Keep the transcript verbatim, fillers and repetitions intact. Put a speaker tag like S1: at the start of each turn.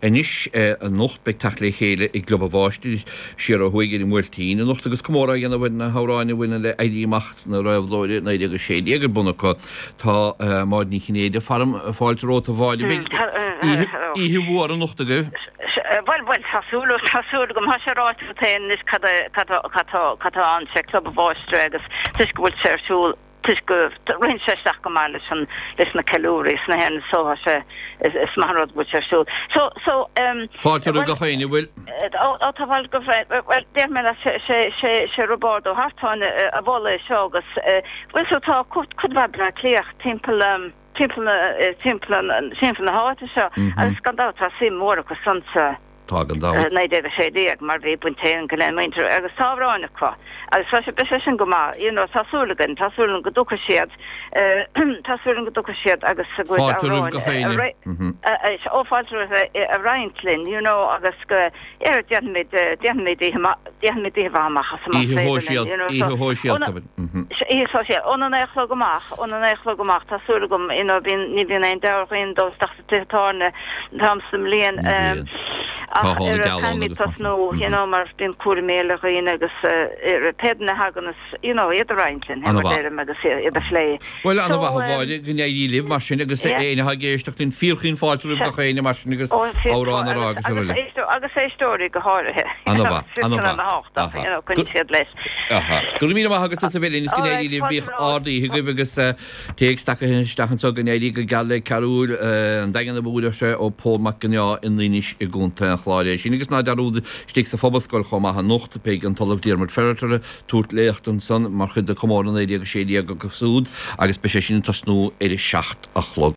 S1: Anois anocht beidh teacht le chéile i gClub an Mháistir siar ó thuaidh ar an mBuailtín anocht agus comóradh á dhéanamh ar na hamhráin a bhaineann le Éirí Amach na Réabhlóide naoi déag a sé déag ar bun acu. Tá Máire Ní Chinnéide faram, fáilte romhat a Mháire. Beidh oíche mhór anocht agaibh.
S2: Bhuel, bhuel, tá súil, tá súil agam. Tá sé ráite agat féin anois cad é, cad tá, cad tá ann, sé Club an Mháistir agus toisc go bhfuil sé ar siúl, toisc go ritheann sé isteach go maith leis an leis na ceiliúraí sna hÉireann so tá sé is is maith an rud go bhfuil sé ar siúl. So so um
S1: Fáilte roimh gach éinne, bhfuil?
S2: Ó ó tá fáilte go bhuel déarfaidh mé leat sé sé sé sé Roibeárd Ó hArtáin a mhol é seo agus bhuel so tá cuid cuid mhaith Bleá Cliathach timpeall um timpeall na timpeall an timpeall na háite seo agus gan dabht tá suim mhór acu san sa
S1: Tá gan dabht.
S2: naoi déag a sé déag mar bhí baint éigin le muintir agus tá amhráin acu agus tá sé beidh sé sin go maith you know tá súil againn tá súil againn go dtiocfaidh siad tá súil againn go dtiocfaidh siad agus a gcuid
S1: Fáilte roimh gach
S2: amhráin
S1: éinne.
S2: ó fáilte roimh a roinnt linn you know agus go yeah déanfaimid déanfaimid oíche maith déanfaimid oíche mhaith amach as amach
S1: Oíche
S2: féidir linn
S1: shóisialta
S2: you know
S1: oíche
S2: so
S1: shóisialta.
S2: oíche shóisialta óna naoi a chlog amach óna naoi a chlog amach tá súil agam you know bíonn ní bhíonn aon deabhadh dul isteach sa tithe tábhairne an t-am sa mbliain
S1: Ní bhíonn.
S2: ach
S1: Tá
S2: ar
S1: an gealán
S2: caithfimid
S1: agus mar
S2: tosnú you know mar bíonn cúraimí eile dhaoine agus ar pé duine a thagann is you know iad a roinnt linn
S1: Ana
S2: mar
S1: mhaith.
S2: deirim agus iad a phlé.
S1: Bhuel ana
S2: So
S1: mhaith a
S2: um,
S1: Mháire go n-éirí libh mar sin agus
S2: yeah.
S1: éinne atá ag éisteacht linn fíorchaoin fáilte roimh
S2: Se
S1: gach éinne mar sin agus
S2: ó
S1: amhrán a rá
S2: agus
S1: agus
S2: agus
S1: araile.
S2: éisteoirí agus éisteoirí go háirithe
S1: Ana mhaith, ana
S2: sin
S1: mhaith.
S2: ana thábhachtach
S1: Aha.
S2: you know
S1: Go
S2: coinnigh siad leis.
S1: Aha. Go raibh míle maith agat as a bheith linn is go
S2: All
S1: n-éirí
S2: right,
S1: libh
S2: fáilte
S1: bíodh
S2: romhat.
S1: ard-oíche agaibh agus eh, téacs tagtha isteach anseo go n-éirí go geal le Cearúil eh, an Daingean a bhuail sé ó Pól Mac Gneá in Inis i gContae an Chláir é sin agus ná dearúd istigh sa Phobalscoil chomh maith anocht beidh an tOllamh Diarmuid Ferriter tabhairt léacht ansan mar chuid de comóradh naoi déag a sé déag agus úd agus beidh sé sin ag tosnú ar a seacht a chlog.